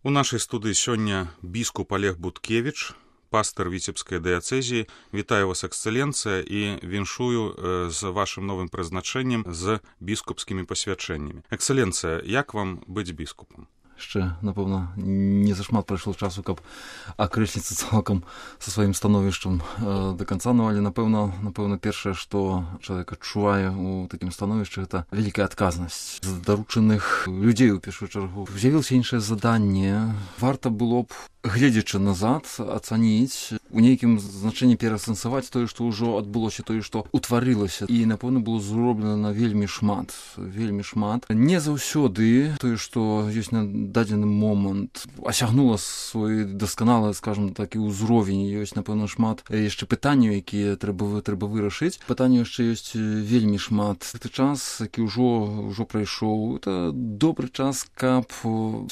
У нашай студыі сёння біскуп Олег Буткевіч, пастор Віцебскай дыяцэзіі. Вітаю вас, эксцэленцыя, і віншую з вашым новым прызначэннем, з біскупскімі пасвячэннямі. Эксцэленцыя, як вам быць біскупам? Яшчэ, напэўна, не зашмат прайшло часу, каб акрэсліцца цалкам са сваім становішчам да канца, але, напэўна, першае, што чалавек адчувае у такім становішчы, гэта вялікая адказнасць з даручаных людзей у першую чаргу. З'явілася іншае заданне. Варта было б, гледзячы назад, ацаніць, у нейкім значэнні пераасэнсаваць тое, што ўжо адбылося, тое, што утварылася. І, напэўна, было зроблена вельмі шмат. Не заўсёды тое, што ёсць на дадзены момант, асягнула свой дасканалы, скажем так, і ўзровень. Ёсць, напэўна, шмат яшчэ пытанняў, якія трэба вырашыць. Пытанняў яшчэ ёсць вельмі шмат. Гэты час, які ўжо прайшоў, это добры час, каб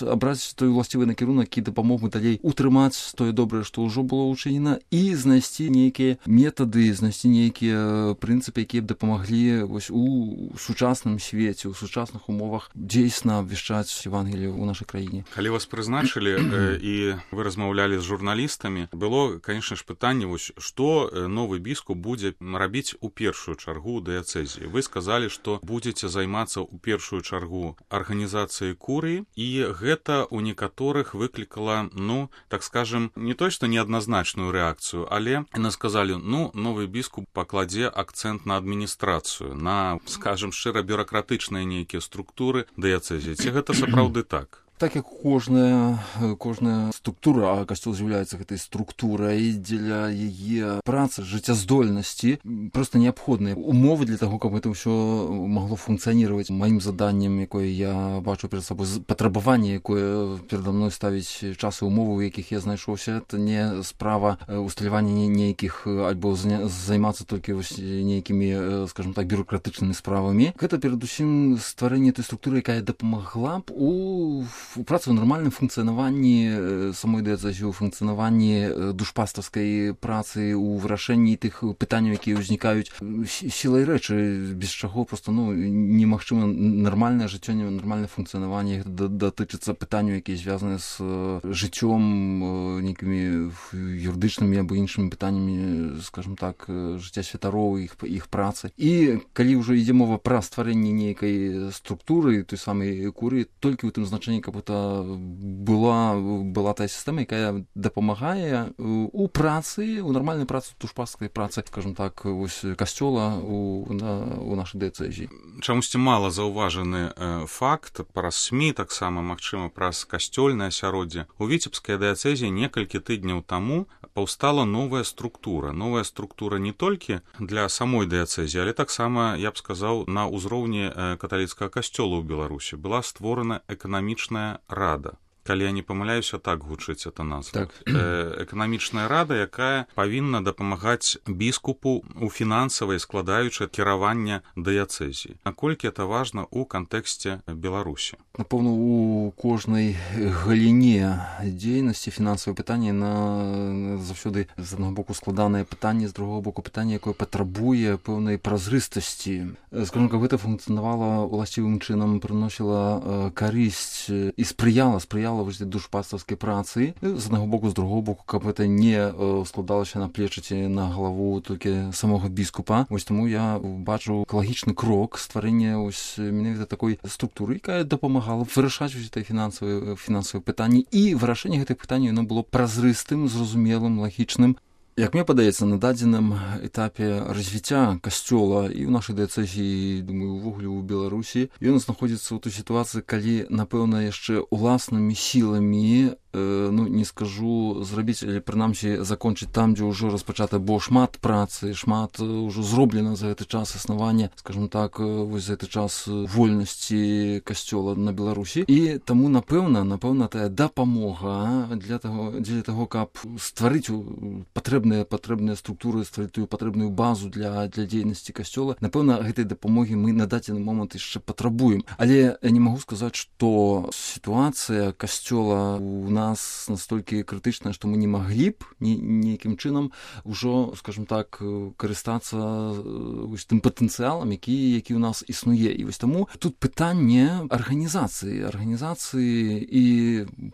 абраць той уласцівы накірунак, які дапамог бы далей утрымаць тое добрае, што ўжо было ўчынена, і знайсці нейкія метады, знайсці нейкія прынцыпы, якія б дапамаглі у сучасным свеце, у сучасных умовах дзейсна абвяшчаць Евангелие ў нашай краіне. Калі вас прызначылі і вы размаўлялі з журналістамі, было, канешне ж, пытанне, што новы біскуп будзе рабіць у першую чаргу дыяцэзіі. Вы сказалі, што будзеце займацца ў першую чаргу арганізацыяй курыі, і гэта ў некаторых выклікала, так скажем, не то, што неадназначную рэакцыю, але яны сказалі, новы біскуп пакладзе акцэнт на адміністрацыю, на, скажем, шчыра бюракратычныя нейкія структуры дыяцэзіі. Ці гэта сапраўды так? Так як кожная структура, а касцёл з'яўляецца гэтай структурай, дзеля яе працы, жыццяздольнасці, проста неабходныя умовы для таго, каб гэта ўсё магло функцыянировать. Маім заданнем, якое я бачу перад сабой, патрабаванне, якое перада мной ставіць час і умовы, у якіх я знайшоўся, это не справа усталявання нейкіх, альбо займацца толькі нейкімі, скажем так, бюракратычнымі справамі. Гэта перадусім стварэнне той структуры, якая дапамагла б у працы ў нармальным функцыянаванні самой дыяцэзіі, у функцыянаванні душпастарскай працы, у вырашэнні тых пытанняў, якія ўзнікаюць сілай рэчы, без чаго проста немагчыма нармальнае жыццё, нармальнае функцыянаванне. Гэта датычыцца пытанняў, якія звязаны з жыццём, нейкімі юрыдычнымі або іншымі пытаннямі, скажем так, жыцця святароў, іх працы. І калі ўжо ідзе мова пра стварэнне нейкай структуры, той самай курыі, толькі ў тым значэнні, каб это была тая сістэма, якая дапамагае у працы, у нармальнай працы, душпастарскай працы, скажем так, касцёла у нашай дыяцэзіі. Чамусьці мала заўважаны факт праз СМІ, таксама, магчыма, праз касцёльнае асяроддзе. У Віцебскай дыяцэзіі некалькі тыдняў таму паўстала новая структура. Новая структура не толькі для самой дыяцэзіі, але таксама, я б сказаў, на ўзроўні каталіцкага касцёла ў Беларусі была створана эканамічная рада. Калі я не памыляюся, так гучыць эта назва. Так. Эканамічная рада, якая павінна дапамагаць біскупу у фінансавай складаючай кіравання дыяцэзіі. Наколькі это важна ў кантэксце Беларусі? Напэўна, у кожнай галіне дзейнасці фінансавае пытанне заўсёды з аднаго боку складанае пытанне, з другого боку пытанне, якое патрабуе пэўнай празрыстасці. Скажем, каб гэта функцыянавала уласцівым чынам, прыносіла карысць і спрыяла душпастарскай працы. З аднаго боку, з другого боку, каб гэта не складалася на плечы ці на галаву толькі самога біскупа. Таму я бачу экалагічны крок стварэння менавіта такой структуры, якая дапамагала вырашаць гэтыя фінансавыя пытанні, і вырашэнне гэтых пытанняў яно было празрыстым, зразумелым, лагічным. Як мне падаецца, на дадзеным этапе развіцця касцёла і ў нашай дыяцэзіі, думаю, увогуле ў Беларусі, ён знаходзіцца ў той сітуацыі, калі, напэўна, яшчэ уласнымі сіламі, не скажу зрабіць, але прынамсі закончыць там, дзе ўжо распачата, бо шмат працы, шмат ўжо зроблена за гэты час існавання, скажем так, за гэты час вольнасці касцёла на Беларусі. І таму, напэўна, тая дапамога для таго, каб стварыць патрэбныя структуры, стварыць тую патрэбную базу для дзейнасці касцёла, напэўна, гэтай дапамогі мы на дадзены момант яшчэ патрабуем. Але я не магу сказаць, што сітуацыя касцёла у нас настолькі крытычная, што мы не маглі б нейкім чынам ужо, скажем так, карыстацца тым патэнцыялам, які ў нас існуе. І вось таму тут пытанне арганізацыі і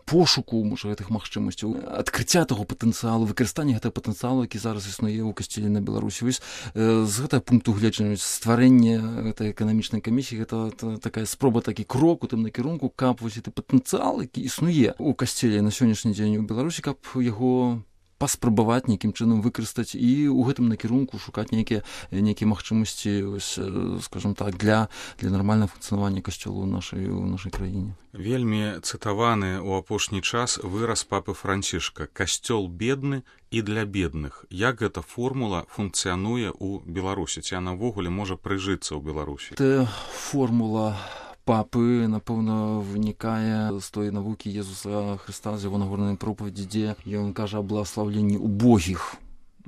пошуку, можа, гэтых магчымасцяў, адкрыцця таго патэнцыялу, выкарыстання гэтага патэнцыялу, які зараз існуе ў касцёле на Беларусі. Вось з гэтага пункту гледжання стварэнне гэтай эканамічнай камісіі гэта такая спроба, такі крок у тым накірунку, каб вось гэты патэнцыял, які існуе ў касцеле на сённяшні дзень у Беларусі, каб яго паспрабаваць нейкім чынам выкарыстаць і ў гэтым накірунку шукаць нейкія магчымасці, скажем так, для нармальнага функцыянавання касцёла ў нашай краіне. Вельмі цытаваны ў апошні час выраз папы Францішка: касцёл бедны і для бедных. Як гэта формула функцыянуе ў Беларусі? Ці яна ўвогуле можа прыжыцца ў Беларусі? Гэта формула папы, напэўна, вынікае з той навукі Езуса Хрыста, з яго нагорнай пропаведзі, дзе ён кажа аб благаслаўленні убогіх.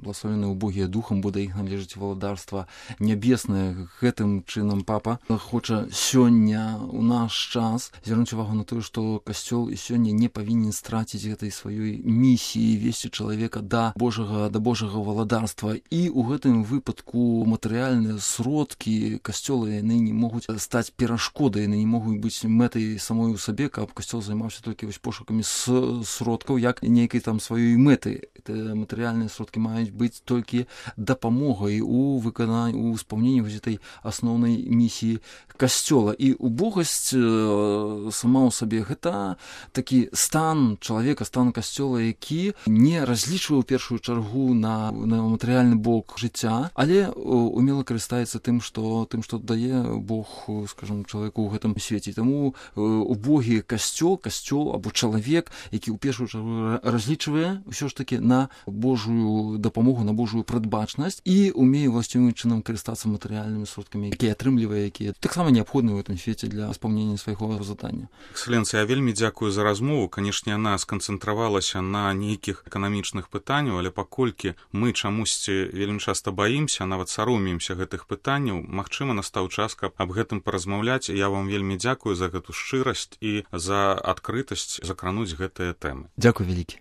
Благословенные убогие духом, бо да іх належыць валадарства нябеснае. Гэтым чынам папа хоча сёння ў наш час звярнуць увагу на тое, што касцёл і сёння не павінен страціць гэтай сваёй місіі весці чалавека да Божага валадарства. І ў гэтым выпадку матэрыяльныя сродкі касцёла, яны не могуць стаць перашкодай, яны не могуць быць мэтай самой у сабе, каб касцёл займаўся толькі пошукамі сродкаў як нейкай там сваёй мэты. Матэрыяльныя сродкі маюць быць толькі дапамогай у спаўненні гэтай асноўнай місіі касцёла. І убогасць сама ў сабе гэта такі стан чалавека, стан касцёла, які не разлічвае ў першую чаргу на матэрыяльны бок жыцця, але умела карыстаецца тым, што дае Бог, скажем, чалавеку ў гэтым свеце. Таму убогі касцёл або чалавек, які ў першую чаргу разлічвае ўсё ж такі на Божую дапамогу, на Божую прадбачнасць і умее ўласцівым чынам карыстацца матэрыяльнымі сродкамі, якія атрымлівае, якія таксама неабходны ў гэтым свеце для спаўнення свайго задання. Экселенцыя, я вельмі дзякую за размову. Канешне, яна сканцэнтравалася на нейкіх эканамічных пытанняў, але паколькі мы чамусьці вельмі часта баімся, нават саромеемся гэтых пытанняў, магчыма, настаў час, каб аб гэтым паразмаўляць. Я вам вельмі дзякую за гэту шчырасць і за адкрытасць закрануць гэтыя тэмы. Дзякуй вялікі.